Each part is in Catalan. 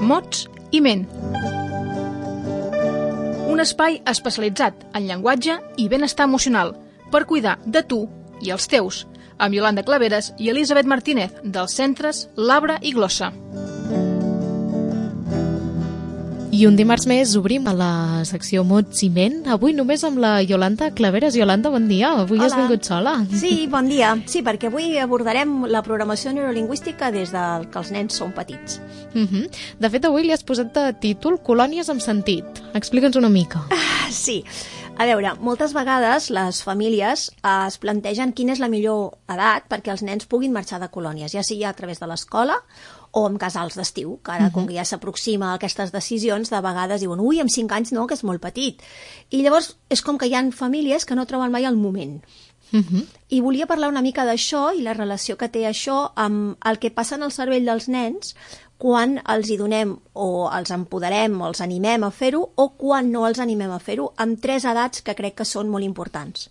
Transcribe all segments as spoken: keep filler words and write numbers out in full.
mots i ment. Un espai especialitzat en llenguatge i benestar emocional per cuidar de tu i els teus, amb Iolanda Claveres i Elisabet Martínez, dels centres Labra i Glossa. I un dimarts més obrim a la secció Mots i Ment, avui només amb la Iolanda Claveres. Iolanda, bon dia, avui Hola. Has vingut sola. Sí, bon dia. Sí, perquè avui abordarem la programació neurolingüística des del que els nens són petits. Uh -huh. De fet, avui li has posat de títol Colònies amb sentit. Explica'ns una mica. Ah, sí. A veure, moltes vegades les famílies eh, es plantegen quina és la millor edat perquè els nens puguin marxar de colònies, ja sigui a través de l'escola o amb casals d'estiu, que ara, uh -huh. com que ja s'aproxima a aquestes decisions, de vegades diuen, ui, amb cinc anys no, que és molt petit. I llavors és com que hi ha famílies que no troben mai el moment. Uh -huh. I volia parlar una mica d'això i la relació que té això amb el que passa en el cervell dels nens quan els hi donem o els empoderem o els animem a fer-ho o quan no els animem a fer-ho, amb tres edats que crec que són molt importants.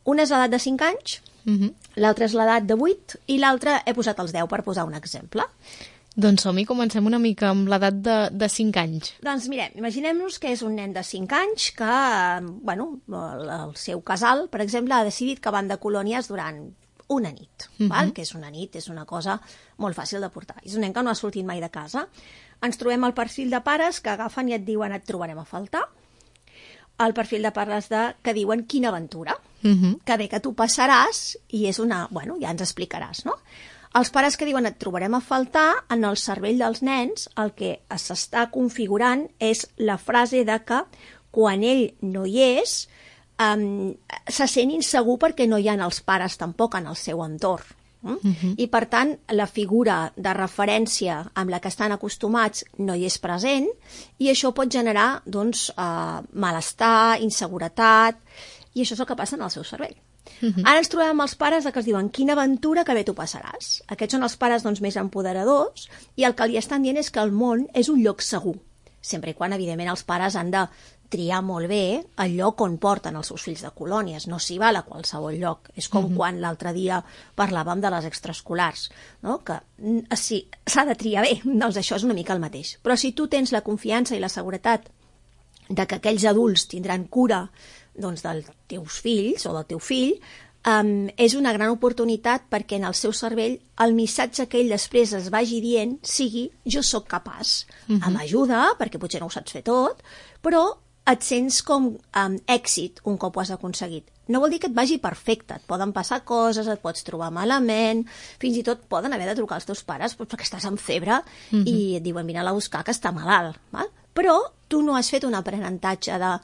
Una és l'edat de cinc anys, uh-huh. l'altra és l'edat de vuit i l'altra he posat els deu per posar un exemple. Doncs som-hi, comencem una mica amb l'edat de, de cinc anys. Doncs mirem, imaginem-nos que és un nen de cinc anys que, bueno, el, el seu casal, per exemple, ha decidit que van de colònies durant una nit, uh-huh. val? Que és una nit, és una cosa molt fàcil de portar. És un nen que no ha sortit mai de casa. Ens trobem el perfil de pares que agafen i et diuen et trobarem a faltar. El perfil de pares de, que diuen quina aventura, uh-huh. que bé que tu passaràs i és una... Bueno, ja ens explicaràs, no? Els pares que diuen et trobarem a faltar, en el cervell dels nens el que s'està configurant és la frase de que quan ell no hi és Um, se sent insegur perquè no hi ha els pares tampoc en el seu entorn. Mm? Uh-huh. I per tant la figura de referència amb la que estan acostumats no hi és present i això pot generar doncs, uh, malestar, inseguretat i això és el que passa en el seu cervell. Uh-huh. Ara ens trobem amb els pares que es diuen quina aventura que bé tu passaràs. Aquests són els pares doncs, més empoderadors i el que li estan dient és que el món és un lloc segur, sempre i quan evidentment els pares han de triar molt bé el lloc on porten els seus fills de colònies, no s'hi val a qualsevol lloc. És com uh-huh. quan l'altre dia parlàvem de les extraescolars, no? Que sí, s'ha de triar bé, doncs això és una mica el mateix. Però si tu tens la confiança i la seguretat de que aquells adults tindran cura doncs, dels teus fills o del teu fill, um, és una gran oportunitat perquè en el seu cervell el missatge que ell després es vagi dient sigui jo sóc capaç, uh-huh. amb ajuda, perquè potser no ho saps fer tot, però et sents com um, èxit un cop ho has aconseguit. No vol dir que et vagi perfecte, et poden passar coses, et pots trobar malament, fins i tot poden haver de trucar als teus pares perquè estàs amb febre uh-huh. i et diuen vine a buscar que està malalt. Val? Però tu no has fet un aprenentatge de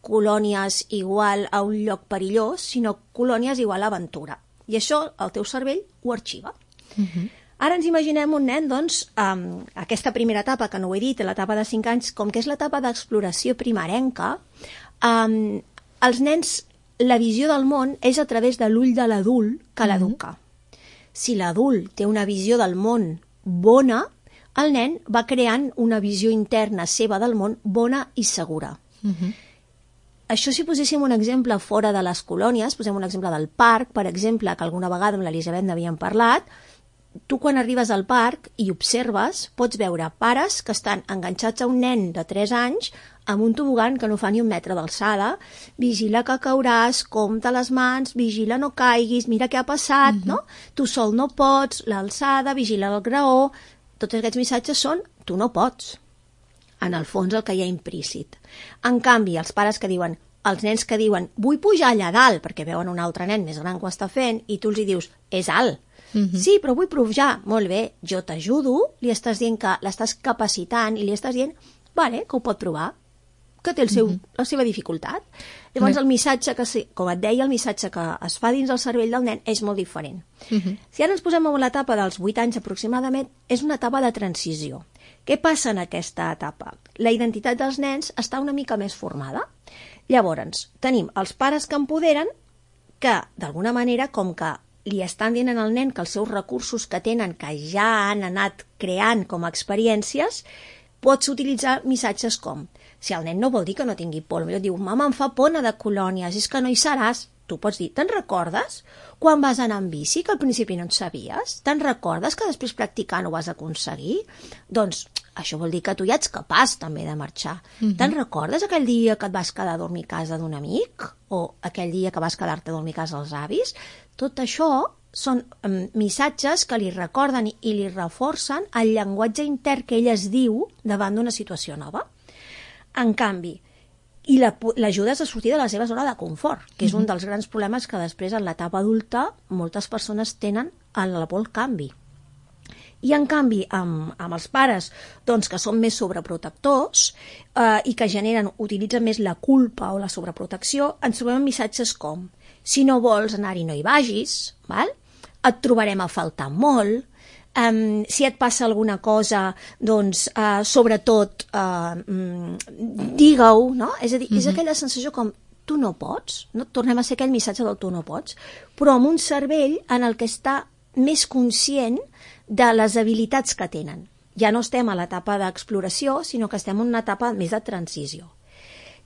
colònies igual a un lloc perillós, sinó colònies igual a aventura. I això el teu cervell ho arxiva. Uh-huh. Ara ens imaginem un nen, doncs, um, aquesta primera etapa, que no ho he dit, l'etapa de cinc anys, com que és l'etapa d'exploració primerenca, um, els nens, la visió del món és a través de l'ull de l'adult que l'educa. Mm-hmm. Si l'adult té una visió del món bona, el nen va creant una visió interna seva del món bona i segura. Mm-hmm. Això si poséssim un exemple fora de les colònies, posem un exemple del parc, per exemple, que alguna vegada amb l'Elisabet n'havíem parlat, tu quan arribes al parc i observes, pots veure pares que estan enganxats a un nen de tres anys amb un tobogan que no fa ni un metre d'alçada, vigila que cauràs, compta les mans, vigila no caiguis, mira què ha passat, mm-hmm. no? Tu sol no pots, l'alçada, vigila el graó, tots aquests missatges són tu no pots. En el fons el que hi ha implícit. En canvi, els pares que diuen, els nens que diuen vull pujar allà dalt, perquè veuen un altre nen més gran que ho està fent, i tu els hi dius, és alt. Mm-hmm. Sí, però vull pujar. Molt bé, jo t'ajudo, li estàs dient que l'estàs capacitant i li estàs dient, vale, que ho pot provar, que té el seu, mm-hmm. la seva dificultat. Llavors, el missatge que, com et deia, el missatge que es fa dins el cervell del nen és molt diferent. Mm-hmm. Si ara ens posem en l'etapa dels vuit anys aproximadament, és una etapa de transició. Què passa en aquesta etapa? La identitat dels nens està una mica més formada. Llavors, tenim els pares que empoderen, que, d'alguna manera, com que li estan dient al nen que els seus recursos que tenen, que ja han anat creant com a experiències, pots utilitzar missatges com, si el nen no vol dir que no tingui por, potser diu, mama, em fa por anar de colònies, és que no hi seràs. Tu pots dir, te'n recordes quan vas anar en bici, que al principi no en sabies? Te'n recordes que després practicant ho vas aconseguir? Doncs això vol dir que tu ja ets capaç també de marxar. Uh-huh. Te'n recordes aquell dia que et vas quedar a dormir a casa d'un amic? O aquell dia que vas quedar-te a dormir a casa dels avis? Tot això són um, missatges que li recorden i li reforcen el llenguatge intern que ell es diu davant d'una situació nova. En canvi, i l'ajudes a sortir de la seva zona de confort, que és un dels grans problemes que després en l'etapa adulta moltes persones tenen en la por al canvi. I en canvi, amb, amb els pares doncs, que són més sobreprotectors eh, i que generen, utilitzen més la culpa o la sobreprotecció, ens trobem missatges com: si no vols anar-hi no hi vagis, val? Et trobarem a faltar molt, Um, si et passa alguna cosa, doncs, uh, sobretot, uh, um, digue-ho, no? És a dir, mm-hmm. és aquella sensació com, tu no pots, no? Tornem a ser aquell missatge del tu no pots, però amb un cervell en el que està més conscient de les habilitats que tenen. Ja no estem a l'etapa d'exploració, sinó que estem en una etapa més de transició.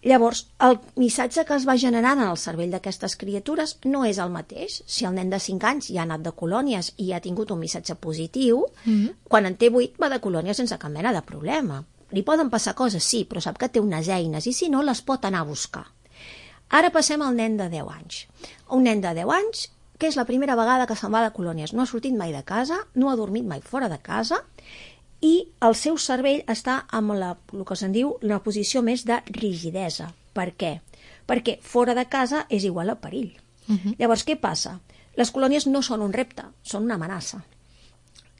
Llavors, el missatge que es va generant en el cervell d'aquestes criatures no és el mateix. Si el nen de cinc anys ja ha anat de colònies i ha tingut un missatge positiu, mm-hmm. quan en té vuit va de colònies sense cap mena de problema. Li poden passar coses, sí, però sap que té unes eines i si no les pot anar a buscar. Ara passem al nen de deu anys. Un nen de deu anys que és la primera vegada que se'n va de colònies. No ha sortit mai de casa, no ha dormit mai fora de casa i el seu cervell està en la, el que se'n diu una posició més de rigidesa. Per què? Perquè fora de casa és igual a perill. Uh-huh. Llavors, què passa? Les colònies no són un repte, són una amenaça.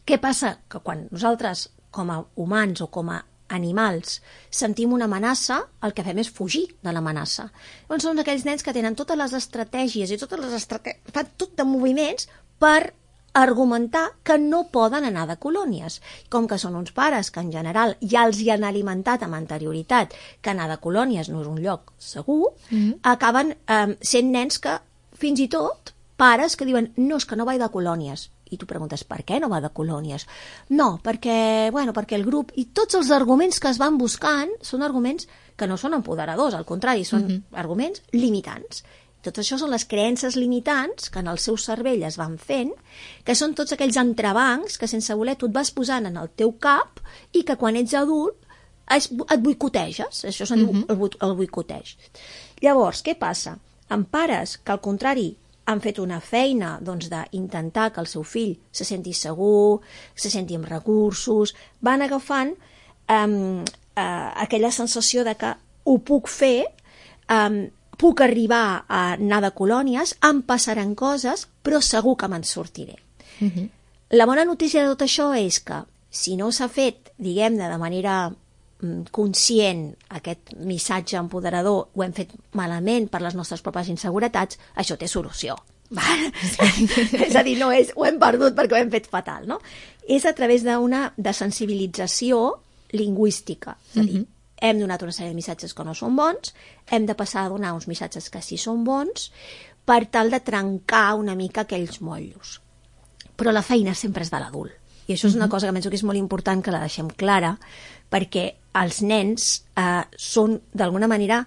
Què passa? Que quan nosaltres, com a humans o com a animals, sentim una amenaça, el que fem és fugir de l'amenaça. Llavors són aquells nens que tenen totes les estratègies i totes les estratègies, fan tot de moviments per argumentar que no poden anar de colònies. Com que són uns pares que en general ja els hi han alimentat amb anterioritat que anar de colònies no és un lloc segur, mm-hmm. acaben eh, sent nens que fins i tot pares que diuen no, és que no vaig de colònies. I tu preguntes, per què no va de colònies? No, perquè, bueno, perquè el grup... I tots els arguments que es van buscant són arguments que no són empoderadors, al contrari, són mm-hmm. arguments limitants. Tot això són les creences limitants que en el seu cervell es van fent, que són tots aquells entrebancs que sense voler tu et vas posant en el teu cap i que quan ets adult et boicoteges. Això se'n diu uh-huh. el boicoteig. Llavors, què passa? Amb pares que al contrari han fet una feina doncs, d'intentar que el seu fill se senti segur, se senti amb recursos, van agafant um, uh, aquella sensació de que ho puc fer, um, puc arribar a anar de colònies, em passaran coses, però segur que me'n sortiré. Uh-huh. La bona notícia de tot això és que, si no s'ha fet, diguem-ne, de manera mm, conscient, aquest missatge empoderador, ho hem fet malament per les nostres pròpies inseguretats, això té solució. És a dir, no és ho hem perdut perquè ho hem fet fatal, no? És a través d'una desensibilització lingüística. És a dir, uh-huh. hem donat una sèrie de missatges que no són bons, hem de passar a donar uns missatges que sí són bons, per tal de trencar una mica aquells motllos. Però la feina sempre és de l'adult. I això és una cosa que penso que és molt important que la deixem clara, perquè els nens eh, són, d'alguna manera,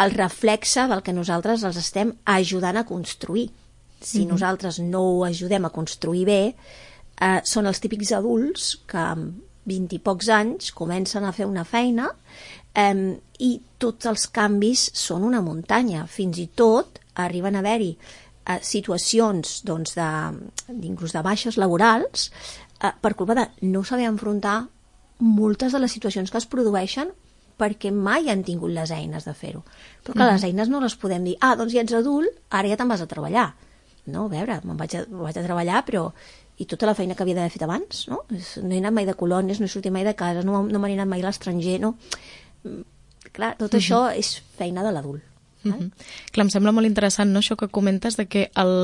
el reflexe del que nosaltres els estem ajudant a construir. Si mm-hmm. nosaltres no ho ajudem a construir bé, eh, són els típics adults que amb vint i pocs anys comencen a fer una feina eh, i tots els canvis són una muntanya. Fins i tot arriben a haver-hi eh, situacions doncs, de, inclús de baixes laborals eh, per culpa de no saber enfrontar moltes de les situacions que es produeixen perquè mai han tingut les eines de fer-ho. Però que mm. les eines no les podem dir, ah, doncs ja ets adult, ara ja te'n vas a treballar. No, a veure, me'n vaig a, vaig a treballar, però i tota la feina que havia d'haver fet abans, no? No he anat mai de colònies, no he sortit mai de casa, no, no m'he anat mai a l'estranger, no? Clar, tot mm-hmm. això és feina de l'adult. Mm-hmm. Clar, em sembla molt interessant, no?, això que comentes de que el,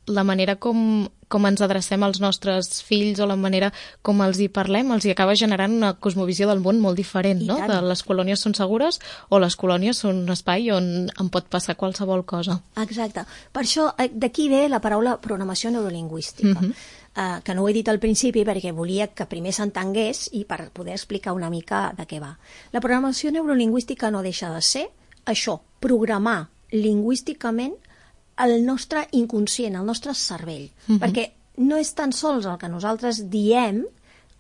la manera com, com ens adrecem als nostres fills o la manera com els hi parlem els hi acaba generant una cosmovisió del món molt diferent, I no? Tant. De les colònies són segures o les colònies són un espai on em pot passar qualsevol cosa. Exacte. Per això d'aquí ve la paraula programació neurolingüística, mm-hmm. uh, que no ho he dit al principi perquè volia que primer s'entengués i per poder explicar una mica de què va. La programació neurolingüística no deixa de ser això, programar lingüísticament el nostre inconscient, el nostre cervell, uh-huh. perquè no és tan sols el que nosaltres diem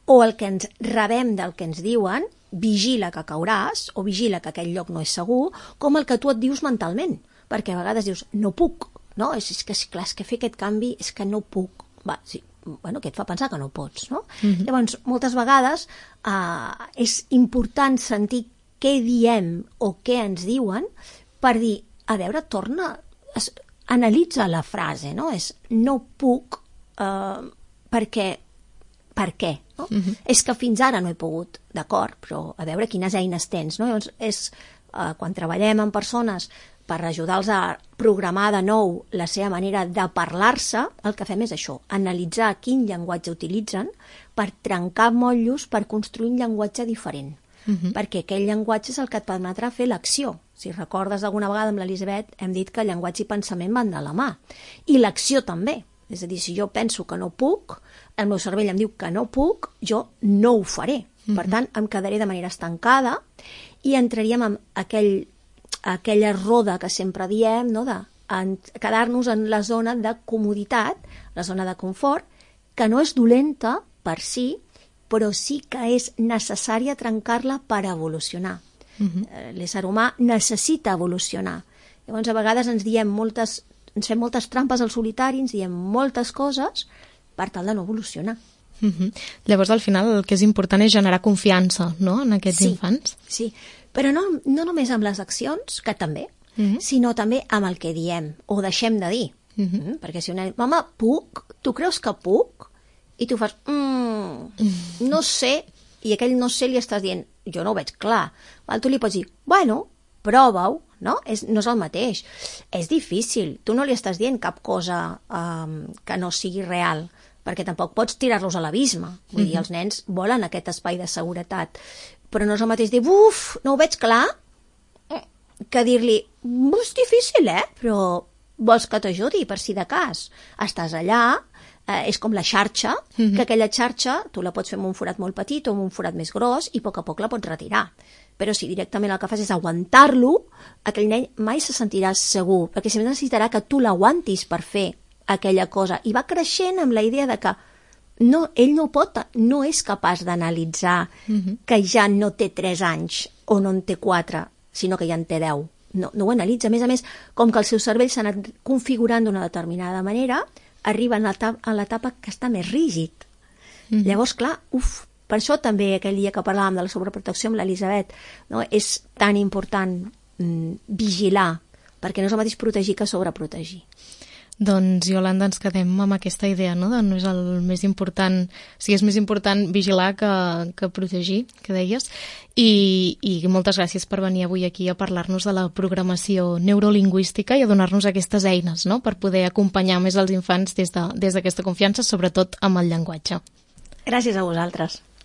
o el que ens rebem del que ens diuen, vigila que cauràs, o vigila que aquell lloc no és segur, com el que tu et dius mentalment, perquè a vegades dius, no puc, no? És, és que, clar, és que fer aquest canvi és que no puc. Va, sí, bueno, que et fa pensar que no pots, no? Mm-hmm. Llavors, moltes vegades eh, és important sentir què diem o què ens diuen per dir, a veure, torna, es, analitza la frase, no? És no puc eh, perquè, per què? No? Mm-hmm. És que fins ara no he pogut, d'acord, però a veure quines eines tens, no? Llavors, és, eh, quan treballem amb persones per ajudar-los a programar de nou la seva manera de parlar-se, el que fem és això, analitzar quin llenguatge utilitzen per trencar motllos, per construir un llenguatge diferent. Uh-huh. Perquè aquell llenguatge és el que et permetrà fer l'acció. Si recordes alguna vegada amb l'Elisabet, hem dit que llenguatge i pensament van de la mà. I l'acció també. És a dir, si jo penso que no puc, el meu cervell em diu que no puc, jo no ho faré. Uh-huh. Per tant, em quedaré de manera estancada i entraríem en aquell, aquella roda que sempre diem, no? De en, quedar-nos en la zona de comoditat, la zona de confort, que no és dolenta per si, però sí que és necessària trencar-la per evolucionar. Uh-huh. L'ésser humà necessita evolucionar. Llavors, a vegades ens diem moltes, ens fem moltes trampes al solitari, ens diem moltes coses per tal de no evolucionar. Uh-huh. Llavors, al final, el que és important és generar confiança, no?, en aquests sí, infants. Sí, però no, no només amb les accions, que també, uh-huh. sinó també amb el que diem, o deixem de dir. Uh-huh. Mm, perquè si una... Mama, puc? Tu creus que puc? I tu fas, mm, no sé, i aquell no sé li estàs dient, jo no ho veig clar. Val? Tu li pots dir, bueno, prova-ho, no? És, no és el mateix. És difícil, tu no li estàs dient cap cosa um, que no sigui real, perquè tampoc pots tirar-los a l'abisme. Vull dir, els nens volen aquest espai de seguretat. Però no és el mateix dir, uf, no ho veig clar, que dir-li, és difícil, eh? Però vols que t'ajudi, per si de cas. Estàs allà, eh, és com la xarxa, mm-hmm. que aquella xarxa tu la pots fer amb un forat molt petit o amb un forat més gros i a poc a poc la pots retirar. Però si directament el que fas és aguantar-lo, aquell nen mai se sentirà segur, perquè sempre necessitarà que tu l'aguantis per fer aquella cosa. I va creixent amb la idea de que no, ell no pot, no és capaç d'analitzar mm-hmm. que ja no té tres anys o no en té quatre, sinó que ja en té deu. No, no ho analitza. A més a més, com que el seu cervell s'ha anat configurant d'una determinada manera, arriba en l'etapa que està més rígid. Mm-hmm. Llavors, clar, uf, per això també aquell dia que parlàvem de la sobreprotecció amb l'Elisabet, no, és tan important mm, vigilar, perquè no és el mateix protegir que sobreprotegir. Doncs, Iolanda, ens quedem amb aquesta idea, no?, de no és el més important, o sigui, és més important vigilar que, que protegir, que deies, i, i moltes gràcies per venir avui aquí a parlar-nos de la programació neurolingüística i a donar-nos aquestes eines, no?, per poder acompanyar més els infants des de, des d'aquesta confiança, sobretot amb el llenguatge. Gràcies a vosaltres.